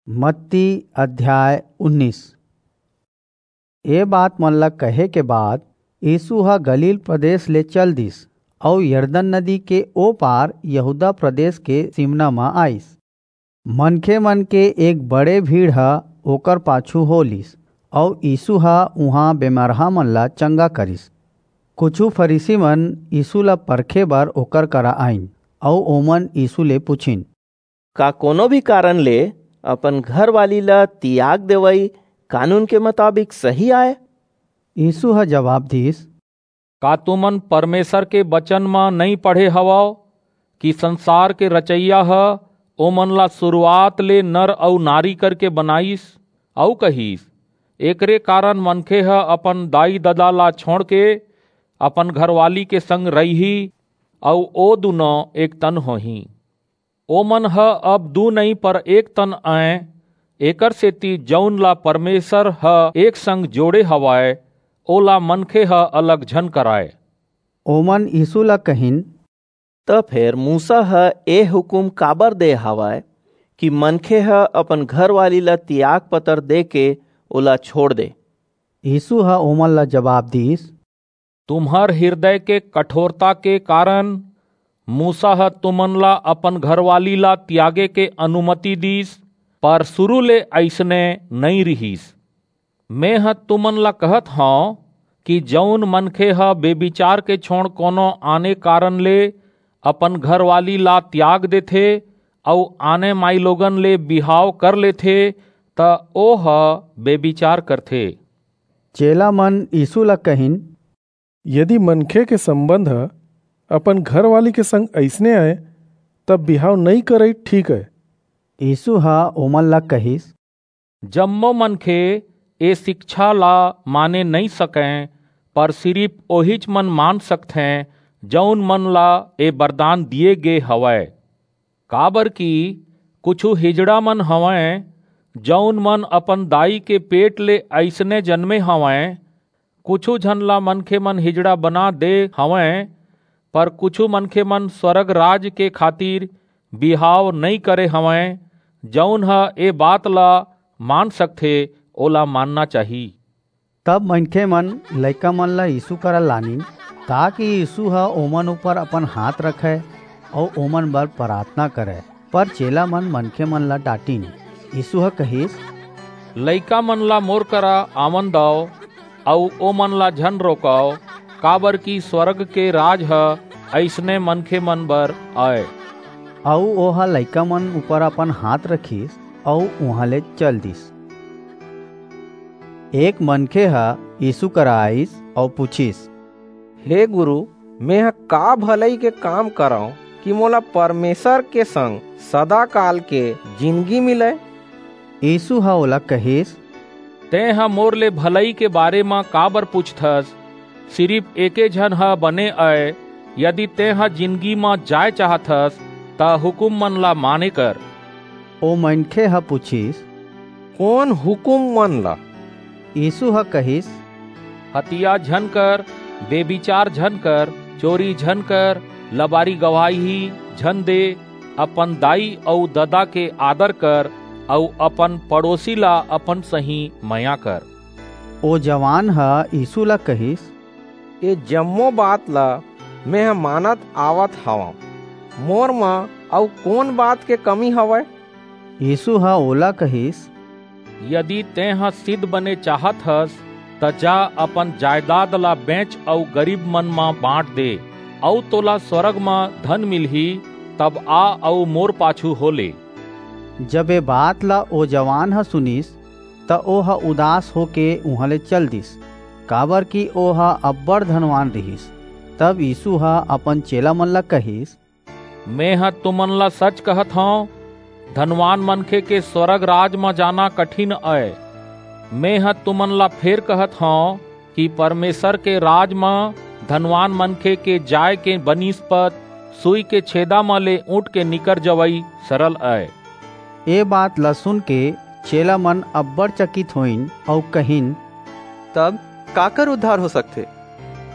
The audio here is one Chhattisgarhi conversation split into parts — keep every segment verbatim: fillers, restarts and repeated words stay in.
मत्ती अध्याय उन्नीस। ए बात मन ला कहे के बाद यीशु ह गलील प्रदेश ले चल दिस अऊ यरदन नदी के ओ पार यहूदा प्रदेश के सिमना म आइस। मनखे मन के एक बड़े भीड़ ह ओकर पाछू हो लिस, अऊ यीशु ह उहां बेमरहा मन ला चंगा करिस। कुछू फरीसी मन यीशु ला परखे बर ओकर करा आइन, अऊ ओमन यीशु ले पुछिन, का कोनो भी कारण ले अपन घरवाली ला तियाग देवई कानून के मुताबिक सही आय? यीशु ह जवाब दीस, का तुमन परमेसर के बचन म नइं पढ़े हवव कि संसार के रचइया ह ओमन ला सुरुवात ले नर अऊ नारी करके बनाईस, अऊ कहिस, एकरे कारन मनखे ह अपन दाई-ददा ला छोंड़के अपन घरवाली के संग रहिही, अऊ ओ दूनों एक तन होहीं। ओमन ह अब दू नइं, पर एक तन अंय। एकरसेति जऊन ला परमेसर ह एक संग जोड़े हवय, ओला मनखे ह अलग झन करय। ओमन यीसू ला कहिन, त फेर मूसा ह ए हुकूम काबर दे हवय कि मनखे ह अपन घरवाली ला तियाग पतर देके ओला छोंड़ दे? यीसू ह ओमन ला जबाब दीस, तुम्हर हिरदय के कठोरता के कारन मूसा ह तुमन ला अपन घरवाली ला तियागे के अनुमति दीस, पर सुरू ले अइसने नइं रिहिस। मेंह तुमन ला कहत हंव कि जऊन मनखे ह बेभिचार के छोंड़ कोनो आने कारन ले अपन घरवाली ला तियाग देथे अऊ आने माईलोगन ले बिहाव कर लेथे, त ओह बेभिचार करथे। चेलामन यीसू ला कहिन, यदि मनखे के संबंध ह अपन घरवाली के संग अइसने अय, तब बिहाव नइं करई ठीक अय। यीसू ह ओमन ला कहिस, जम्मो मनखे ए सिकछा ला माने नइं सकंय, पर सिरिप ओहीच मन मान सकथें, जऊन मन ला ए बरदान दिये गे हवय। काबरकि कुछू हिजड़ा मन हवंय, जऊन मन अपन दाई के पेट ले अइसने जनमे हवंय, कुछू झन ला मनखेमन हिजड़ा बना दे हवंय, पर कुछू मनखेमन स्वरग राज के खातिर बिहाव नइं करे हवंय। जऊन ह ए बात ला मान सकथे, ओला मानना चाही। तब मनखेमन लइकामन ला यीसू करा लानिन, ताकि यीसू ह ओमन ऊपर अपन हांथ रखय अऊ ओमन बर पराथना करय। पर चेलामन मनखेमन ला डांटिन। यीसू ह कहिस, लइकामन ला मोर करा आवन दव, अऊ ओमन ला झन रोकव, काबरकि स्वरग के राज ह अइसने मनखेमन बर अय। अऊ ओह लइकामन ऊपर अपन हांथ रखिस, अऊ उहां ले चल दीस। एक मनखे ह यीसू करा आईस अऊ पुछिस, हे गुरू, मेंह का भलई के काम करंव कि मोला परमेसर के संग सदाकाल के जिनगी मिलय? यीसू ह ओला कहिस, तेंह मोर ले भलई के बारे म काबर पुछथस? सिरिप एके झन ह बने अय। यदि तेंह जिनगी म जाय चाहथस, त हुकूममन ला माने कर। ओ मनखे ह पुछिस, कोन हुकूममन ला? यीसू ह कहिस, हतिया झन कर, बेभिचार झन कर, चोरी झन कर, लबारी गवाही झन दे, अपन दाई अऊ ददा के आदर कर, अऊ अपन पड़ोसी ला अपन सहीं मया कर। ओ जवान ह यीसू ला कहिस, ए जम्मो बात ला मेंह मानत आवत हवंव, मोर म अऊ कोन बात के कमी हवय? यीसू ह ओला कहिस, यदि तेंह सिद्ध बने चाहत हस, त जा, अपन जायदाद ला बेंच अऊ गरीबमन म बांट दे, अऊ तोला स्वरग म धन मिलही। तब आ अऊ मोर पाछू हो ले। जब ए बात ला ओ जवान ह सुनिस, त ओह उदास होके उहां ले चल दिस, काबरकि ओह अब्बड़ धनवान रिहिस। तब यीसू ह अपन चेलामन ला कहिस, मेंह तुमन ला सच कहत हंव, धनवान मनखे के स्वरग राज म जाना कठिन अय। मेंह तुमन ला फेर कहत हंव कि परमेसर के राज म धनवान मनखे के जाय के बनिस्पत सुई के छेदा म ले ऊंट के निकर जवई सरल अय। ए बात ला सुनके चेलामन अब्बड़ चकित होइन अऊ कहिन, तब काकर उद्धार हो सकथे?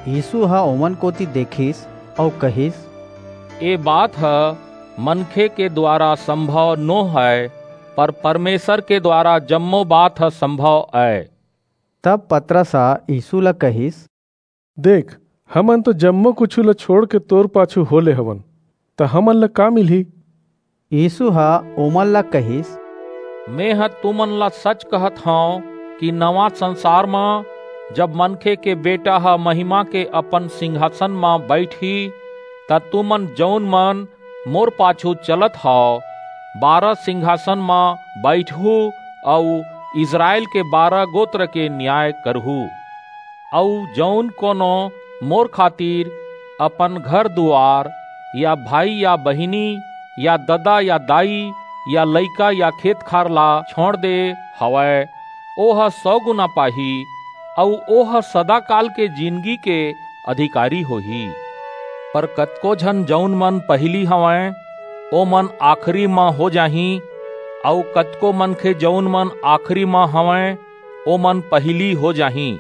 यीसू ह ओमन कोति देखिस अऊ कहिस, ए बात ह मनखे के दुवारा संभव नो हय, पर परमेसर के दुवारा जम्मो बात ह संभव अय। तब पतरस ह यीसू ला कहिस, देख, हमन तो जम्मो कुछू ला छोंड़ के तोर पाछू हो ले हवन, त हमन ला का मिलही? यीसू ह ओमन ला कहिस, मेंह तुमन ला सच कहत हंव कि नवां संसार म जब मनखे के बेटा ह महिमा के अपन सिंघासन म बईठही, त तुमन जऊन मन मोर पाछू चलत हव, बारह सिंघासन म बईठहू अऊ इसरायल के बारह गोत्र के नियाय करहू। अऊ जऊन कोनो मोर खातिर अपन घर-दुवार या भाई या बहिनी या ददा या दाई या लइका या खेत-खार ला छोंड़ दे हवय, ओह सौ गुना पाही, अऊ ओह सदाकाल के जिनगी के अधिकारी होही। पर कतको झन जऊन मन पहिली हवंय, ओमन आखिरी म हो जाहीं, अऊ कतको मनखे जऊन मन आखिरी म हवंय, ओमन पहिली हो जाहीं।